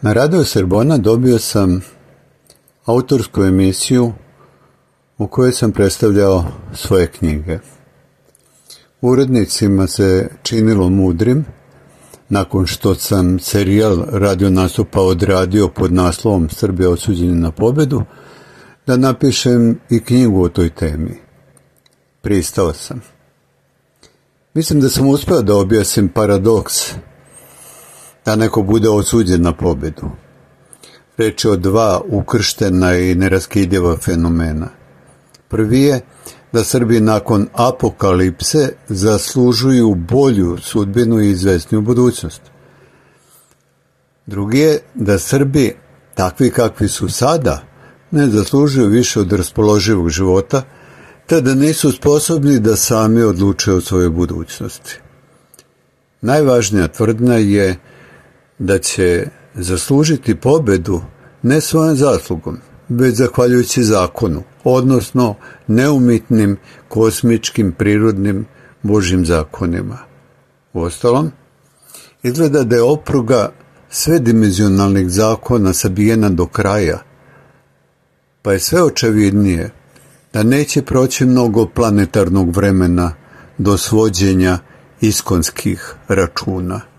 Na Radio Srbona dobio sam autorsku emisiju u kojoj sam predstavljao svoje knjige. Urednicima se činilo mudrim, nakon što sam serijal radio nastupa odradio pod naslovom Srbija osuđeni na pobedu, da napišem i knjigu o toj temi. Pristao sam. Mislim da sam uspeo da objasnim paradoks da neko bude osuđen na pobedu. Reč je o dva ukrštena i neraskidiva fenomena. Prvi je da Srbi nakon apokalipse zaslužuju bolju sudbinu i izvesniju budućnost. Drugi je da Srbi, takvi kakvi su sada, ne zaslužuju više od raspoloživog života, te da nisu sposobni da sami odluče o svojoj budućnosti. Najvažnija tvrdnja je da će zaslužiti pobedu ne svojom zaslugom, već zahvaljujući zakonu, odnosno neumitnim, kosmičkim, prirodnim, Božjim zakonima. Uostalom, izgleda da je opruga svedimenzionalnih zakona sabijena do kraja, pa je sve očevidnije da neće proći mnogo planetarnog vremena do svođenja iskonskih računa.